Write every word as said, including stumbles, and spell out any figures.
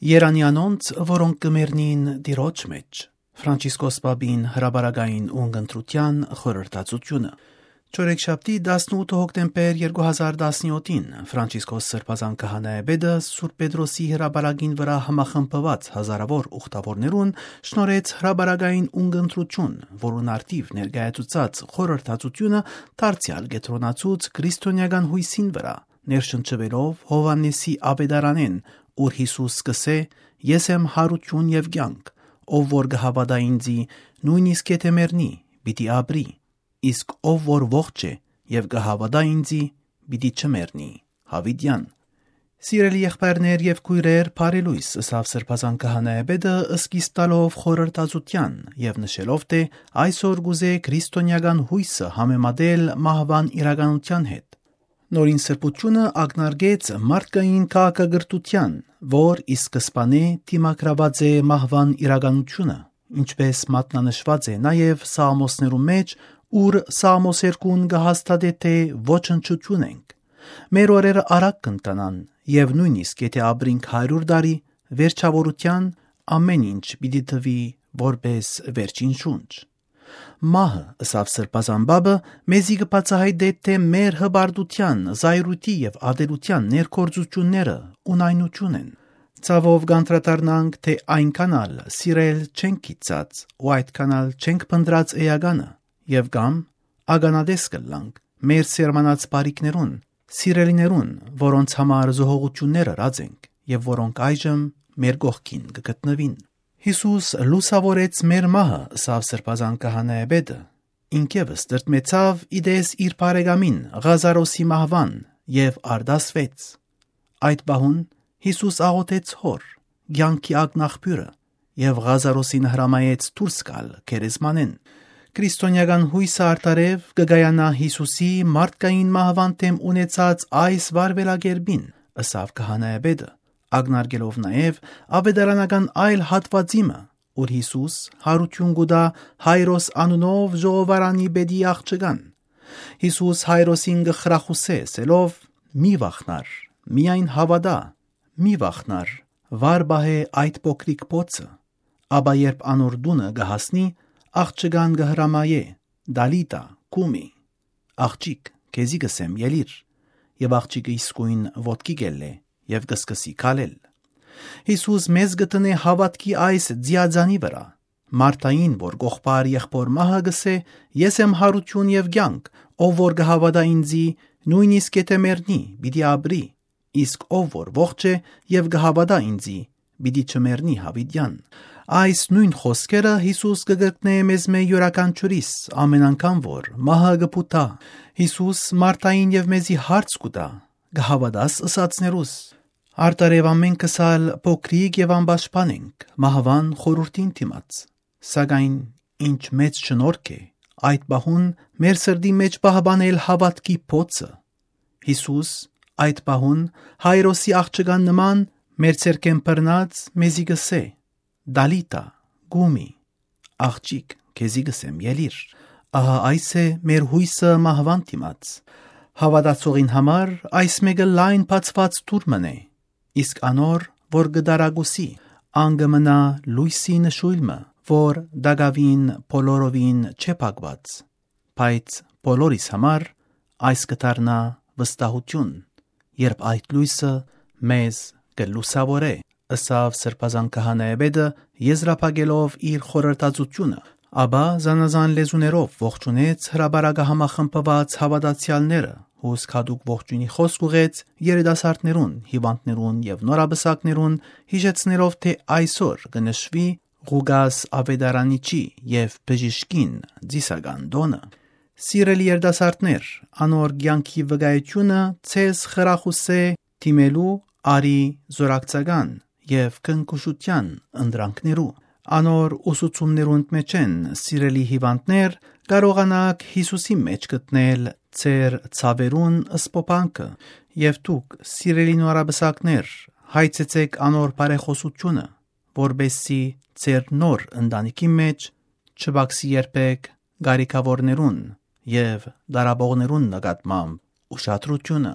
Երանի անոնց, որոնք կը մեռնին Տիրոջ մէջ։ Ֆրանցիսկոս Պապին հրապարակային ունգընտրութեան խորհրդածութիւնը։ Չորեքշաբթի, տասնութ հոկտեմբեր երկու հազար տասնեթին, Ֆրանցիսկոս Սրբազան Քահանայապետը Սուրբ Պետրոսի հրապարակին վրայ համախմբուած հազարաւոր ուխտաւորներուն շնորհեց հրապարակային ունգընտրութիւն, որուն արդիւ ներկայացուցած խորհրդածութիւնը դարձեալ կեդրոնացուց քրիստոնեական յոյսին վրայ, ներշնչուելով Յովհաննէսի աւետարանէն, ուր Յիսուս կ'ըսէ. «Ես եմ յարութիւն եւ կեանք. ով որ կը հաւատայ ինծի, նոյնիսկ եթէ մեռնի, պիտի ապրի, իսկ ով որ ողջ է եւ կը հաւատայ ինծի, պիտի չմեռնի յաւիտեան»։ Սիրելի եղբայրներ եւ քոյրեր, բարի լոյս, ըսաւ Սրբազան Քահանայապետը, սկիզբ տալով խորհրդածութեան եւ նշելով, թէ այսօր կ'ուզէ քրիստոնեական յոյսը համեմատել մահուան իրականութեան հետ։ Նորին սրբութիւնը ակնարկեց մարդկային քաղաքակրթութեան, որ ի սկզբանէ դիմագրաւած է մահուան իրականութիւնը, ինչպէս մատնանշուած է նաեւ Սաղմոսներու մէջ, ուր Սաղմոս երկուն կը հաստատէ, թէ ոչնչութիւն ենք։ Մեր օրերը արագ կ'ընթանան եւ նոյնիսկ եթէ ապրինք հարիւր տարի, վերջաւորութեան ամէն ինչ պիտի թուի որպէս վերջին շունչ։ Մահը, ըսաւ Սրբազան Պապը, մեզի կը բացայայտէ, թէ մեր հպարտութեան, զայրույթի եւ ատելութեան ներգործութիւնները ունայնութիւն են։ Ցաւով կ'անդրադառնանք, թէ այնքան ալ սիրել չենք գիտցած ու այդքան ալ չենք փնտռած էականը, եւ կամ ականատես կ'ըլլանք մեր սերմանած բարիքներուն, սիրելիներուն, որոնց համար զոհողութիւններ ըրած ենք եւ որոնք այժմ մեր կողքին կը գտնուին։ Յիսուս լուսաւորեց մեր մահը, ըսաւ Սրբազան Քահանայապետը։ Ինք եւս տրտմեցաւ ի տես իր բարեկամին Ղազարոսի մահուան եւ արտասուեց։ Այդ պահուն Յիսուս աղօթեց Հօր, կեանքի ակնաղբիւրը, եւ Ղազարոսին հրամայեց դուրս գալ գերեզմանէն։ Քրիստոնեական յոյսը արդարեւ կը կայանայ Յիսուսի մարդկային մահուան դէմ ունեցած այս վարուելակերպին, ըսաւ քահանայապետը, ակնարկելով նաեւ աւետարանական այլ հատուածի մը, ուր Յիսուս յարութիւն կու տայ Հայրոս անունով ժողովարանի պետի աղջկան։ Յիսուս Հայրոսին կը խրախուսէ, ըսելով. «Մի վախնար, միայն հաւատա, մի վախնար, վար պահէ այդ փոքրիկ բոցը»։ Ապա երբ անոր տունը կը հասնի, աղջկան կը հրամայէ. «Տալիտա, կումի», աղջիկ, քեզի կ'ըսեմ, ելիր։ Եւ աղջիկը իսկոյն ոտքի կ'ելլէ եւ կը սկսի քալել։ Յիսուս մեզ կը դնէ հաւատքի այս ձիածանի վրայ։ Մարթային, որ կողբար եղբոր մահը, կ'ըսէ. «Ես եմ յարութիւն եւ կեանք. ով որ կը հաւատայ ինծի, նոյնիսկ եթէ մեռնի, պիտի ապրի, իսկ ով որ ողջ է եւ կը հաւատայ ինծի, պիտի չմեռնի յաւիտեան»։ Այս նոյն խօսքերը Յիսուս կը կրկնէ մեզմէ իւրաքանչիւրիս, ամեն անգամ որ մահը կը փութայ։ Յիսուս Մարթային եւ մեզի հարց կու տայ. «Կը հաւատա՞ս ըսածներուս»։ Արդարեւ ամէնքս ալ փոքրիկ եւ անպաշտպան ենք մահուան խորհուրդին դիմաց։ Սակայն ինչ մեծ շնորհք է այդ պահուն մեր սրտի մէջ պահպանել հաւատքի բոցը։ Յիսուս այդ պահուն Հայրոսի աղջկան նման մեր ձեռքէն բռնած մեզի կ'ըսէ. «Տալիտա, կումի, աղջիկ, քեզի կ'ըսեմ, ելիր»։ Ահա այս է մեր յոյսը մահուան դիմաց։ Հաւատացողին համար այս մէկը լայն բացուած դուռ մըն է, իսկ անոր, որ կը տարակուսի, ան կը մնայ լոյսի նշոյլ մը, որ տակաւին բոլորովին չէ փակուած, բայց բոլորիս համար այս կը դառնայ վստահութիւն, երբ այդ լոյսը մեզ կը լուսաւորէ, ըսաւ Սրբազան քահանայապետը, եզրափակելով իր խորհրդածութիւնը, ապա զանազան լեզուներով ողջունեց հրապարակը համախմբուած հաւատացեալները, հուսք յատուկ ողջոյնի խօսք ուղղեց երիտասարդներուն, հիւանդներուն եւ նորապսակներուն, յիշեցնելով, թէ այսօր կը նշուի Ղուկաս Աւետարանիչի եւ բժիշկին ծիսական տօնը։ Սիրելի երիտասարդներ, անոր կեանքի վկայութիւնը ձեզ խրախուսէ դիմելու արի զօրակցական եւ քնքուշութեան ընտրանքներու։ Անոր ուսուցումներուն մէջ են, սիրելի հիւանդներ, կարողանաք Յիսուսի մէջ գտնել ձեր ցաւերուն սփոփանքը, եւ դուք, սիրելի նորապսակներ, հայցեցէք անոր բարեխօսութիւնը, որպեսզի ձեր նոր ընտանիքի մէջ չպակսի երբեք կարիքաւորներուն եւ տառապողներուն նկատմամբ ուշադրութիւնը։